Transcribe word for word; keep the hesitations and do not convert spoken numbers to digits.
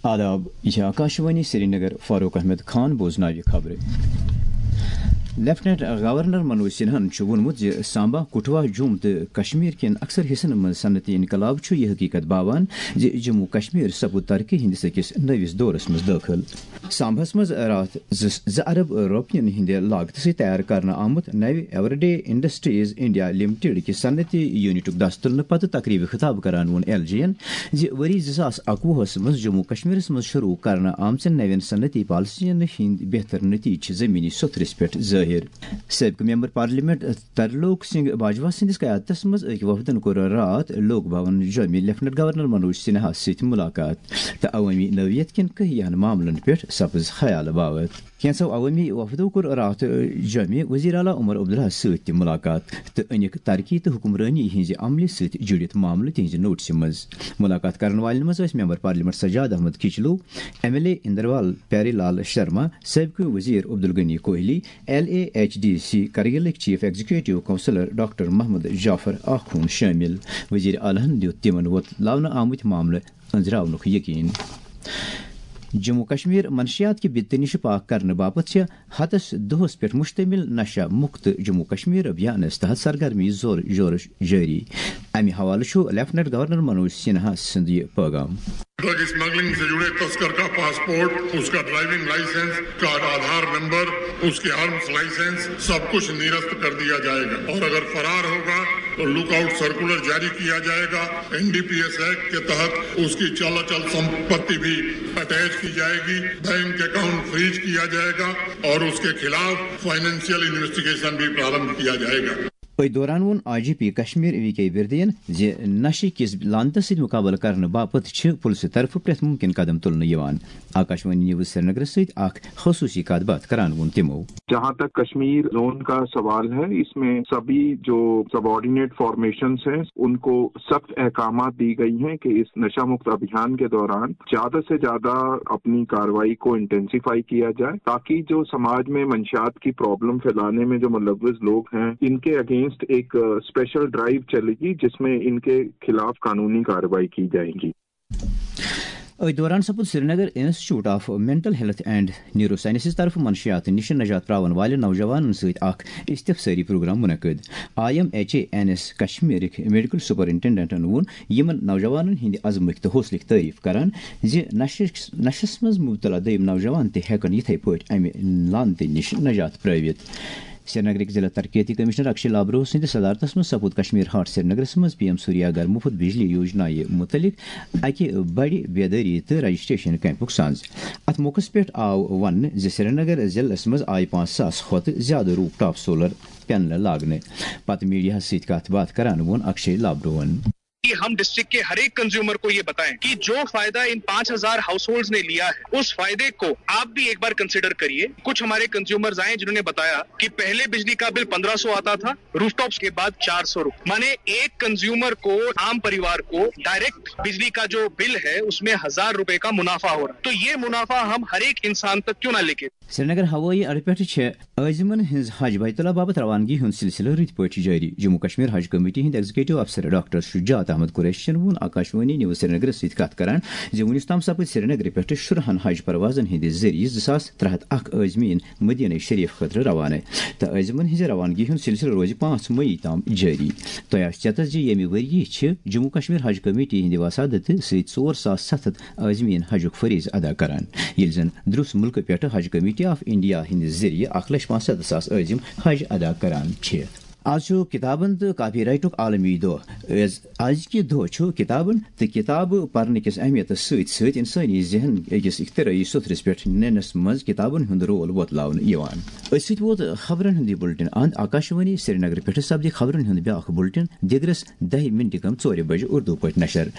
آداب، یہِ چھِ آکاشوانی سرینگر، فاروق احمد خان بوزناوِ خبرٕ۔ لیفٹیننٹ گورنر منوج سنہاہن چھُ ووٚنمُت زِ سامبا، کٹھوا، جوم تہٕ کشمیر کٮ۪ن اکثر حصن منٛز صنعتی انقلاب چھُ یہِ حقیقت باوان زِ جموں کشمیر سپُد ترقی ہٕنٛدِس أکِس نٔوِس دورس منٛز دٲخل۔ سامباہس منٛز راتھ زٕ، زٕ ارب رۄپین ہٕنٛدِ لاگتہٕ سۭتۍ تیار کرنہٕ آمُت نوِ ایورڈے انڈسٹریز انڈیا لمیٹڈ کہِ صنعتی یونٹُک دس تُلنہٕ پتہٕ تقریبہِ خطاب کران ووٚن ایل جی ین زِ ؤری زٕ ساس اکوُہس منٛز جموں کشمیرس منٛز شروع کرنہٕ آمژن نوٮ۪ن صنعتی پالیسین ہٕنٛدۍ بہتر نتیجہٕ چھِ زمینی سوٚتھرِس پٮ۪ٹھ ظٲہِر۔ سٲبقہٕ ممبر پارلیمنٹ ترلوک سنگھ باجوا سٕنٛدِس قیادتس منٛز أکۍ وفدن کوٚر راتھ لوک بھون جوٚمہِ لیفٹیننٹ گورنر منوج سنہاہس سۭتۍ ملاقات تہٕ عوٲمی نوعیت کٮ۪ن کینٛہَن معاملن پٮ۪ٹھ سپٕز خیال باوت۔ کینٛژھو عوٲمی وفدو کوٚر راتھ جوٚمہِ وزیر اعلیٰ عمر عبداللہَس سۭتۍ تہِ ملاقات تہٕ أنِکھ ترقی تہٕ حکمرٲنی ہٕنٛزِ عملہِ سۭتۍ جُڑِتھ معاملہٕ تِہنٛزِ نوٹسہِ منٛز۔ ملاقات کرن والٮ۪ن منٛز ٲسۍ member parliament Sajad Ahmad Kichloo, M L A Inderwal Pyare Lal Sharma, سٲبقہٕ وزیر Abdul Ghani Kohli, L A H D C کرگلٕکۍ chief executive councillor doctor Mohammad Jafar Akhoon شٲمِل۔ وزیر اعلیٰ ہَن دیُت تِمن وۄتلاونہٕ آمٕتۍ معاملہٕ أنٛزراونُک یقین۔ جموں کشمیر منشیات کہِ بدتہٕ نِش پاک کرنہٕ باپتھ چھِ ہتس دۄہس پٮ۪ٹھ مشتمل نشہ مکت جموں کشمیر ابھیانس تحت سرگرمی زور شورش جٲری۔ امہِ حوالہٕ چھُ لیفٹیننٹ گورنر منوج سنہا سُنٛد یہِ پیغام۔ ڈرگ اسمگلنگ سے جڑے تسکر کا پاسپورٹ، اس کا ڈرائیونگ لائسنس، اس کا آدھار نمبر، اس کے آرمز لائسنس، سب کچھ نرست کر دیا جائے گا اور اگر فرار ہوگا تو لک آؤٹ سرکولر جاری کیا جائے گا۔ N D P S act کے تحت اس کی چل اچل سمپتی بھی اٹیچ کی جائے گی، بینک اکاؤنٹ فریز کیا جائے گا اور اس کے خلاف فائنینشیل انویسٹیگیشن بھی پرارمبھ کیا جائے گا۔ أتھۍ دوران ووٚن I G P Kashmir V K وردین زِ نشہٕ کِس لعنتس سۭتۍ مُقابلہٕ کرنہٕ باپتھ چھِ پُلسہٕ طرفہٕ پرٛٮ۪تھ مُمکِن قدم تُلنہٕ یِوان۔ آکاشوانی نیوز سرینگرس سۭتۍ اکھ خصوٗصی کتھ باتھ کران ووٚن تِمو۔ جہاں تک کشمیر زون کا سوال ہے، اس میں سبھی جو سبارڈینیٹ فارمیشنز ہیں، ان کو سخت احکامات دی گئی ہیں کہ اس نشہ مکت ابھیان کے دوران زیادہ سے زیادہ اپنی کارروائی کو انٹینسیفائی کیا جائے، تاکہ جو سماج میں منشیات کی پرابلم پھیلانے میں جو ملوث لوگ ہیں، ان کے اگینسٹ ایک، آ، اسپیشل ڈرائیو چلے گی، جس میں ان کے خلاف قانونی کارروائی کی جائے گی۔ أتھۍ دوران سپُد Srinagar institute of mental health and neuro sciences طرفہٕ منشیات نِش نجات پراون والٮ۪ن نوجوانن سۭتۍ اکھ استفسٲری پروگرام منعقد۔ I M H A N S کشمیرٕکۍ میڈیکل سپرنٹنڈنٹن ووٚن یِمن نوجوانن ہٕنٛدِ عزمٕکۍ تہٕ حوصلٕکۍ تعریف کران زِ نشس، نشس منٛز مبتلا دوٚیِم نوجوان تہِ ہٮ۪کن یِتھے پٲٹھۍ امہِ لعنتہٕ نِش نجات پرٲوِتھ۔ سرینگرٕکۍ ضلع ترقیتی کمشنر اکشے لابرو سٕنٛدِ صدارتس منٛز سپُد کشمیر ہاٹ سرینگرس منٛز پی ایم سوریا گھر مفت بجلی یوجنایہِ متعلق اکہِ بڑِ بیدٲری تہٕ رجسٹریشن کیمپُک سانز۔ اتھ موقعس پٮ۪ٹھ آو وننہٕ زِ سرینگر ضلعس منٛز آیہِ پانٛژھ ساس کھۄتہٕ زیادٕ روپ ٹاپ سولر پینلہٕ لاگنہٕ۔ پتہٕ میڈیاہس سۭتۍ کتھ باتھ کران ووٚن اکشے لابروہن۔ کہ ہم ڈسٹرکٹ کے ہر ایک کنزیومر کو یہ بتائیں کہ جو فائدہ ان پانچ ہزار ہاؤس ہولڈز نے لیا ہے، اس فائدے کو آپ بھی ایک بار کنسیڈر کریے۔ کچھ ہمارے کنزیومرز آئے جنہوں نے بتایا کہ پہلے بجلی کا بل پندرہ سو آتا تھا، روف ٹاپس کے بعد چار سو روپے، مانے ایک کنزیومر کو، عام پریوار کو ڈائریکٹ بجلی کا جو بل ہے اس میں ہزار روپے کا منافع ہو رہا ہے۔ تو یہ منافع ہم ہر ایک انسان تک کیوں نہ لے کے؟ سرینگر ہوٲیی اڈٕ پٮ۪ٹھٕ چھےٚ عٲزمن ہٕنٛز حج بیت اللہ باپتھ روانگی ہُنٛد سلسلہٕ رٕتۍ پٲٹھۍ جٲری۔ جموں کشمیر حج کمیٹی ہٕنٛدۍ ایگزیکٹو افسر ڈاکٹر شجاعت احمد قریشین ووٚن آکاشوانی نیوز سرینگرس سۭتۍ کتھ کران زِ وُنیُس تام سپٕدۍ سرینگرٕ پٮ۪ٹھٕ شُرہن حج پروازن ہٕنٛدِ ذٔریعہٕ زٕ ساس ترٛےٚ ہتھ اکھ عٲزمیٖن مدینہ شریف خٲطرٕ روانہٕ تہٕ عٲزمن ہٕنٛزِ روانگی ہُنٛد سلسلہٕ روزِ پانٛژھ مئی تام جٲری۔ تۄہہِ آسہِ چٮ۪تس زِ ییٚمہِ ؤرۍ یہِ چھِ جموں کشمیر حج کمیٹی ہٕنٛدِ وسادتہٕ سۭتۍ ژور ساس ستھ ہتھ عٲزمیٖن حجُک فریض ادا کران، ییٚلہِ زن دروس مُلکہٕ پٮ۪ٹھٕ حج کمیٹی آف انڈیا ہٕنٛدِ ذٔریعہٕ اکھ لچھ پانٛژھ ستتھ ساس عٲزم حج ادا کران چھِ۔ آز چھُ کتابن تہٕ کاپی رائٹُک عالمی دۄہ۔ از، ازکہِ دۄہ چھُ کتابن تہٕ کتابہٕ پرنہٕ کِس اہمیتس سۭتۍ سۭتۍ انسٲنی ذہن أکِس اختراعی سوٚتھرِس پٮ۪ٹھ نِنس منٛز کتابن ہُنٛد رول وۄتلاونہٕ یِوان۔ أتھۍ سۭتۍ ووت خبرن ہُنٛد یہِ بُلٹن اند۔ آکاشوانی سرینگرٕ پٮ۪ٹھٕ سپدِ خبرن ہُنٛد بیٛاکھ بُلٹن دِگرس دَہہِ مِنٹہِ کم ژورِ بجہِ اردو پٲٹھۍ نشر۔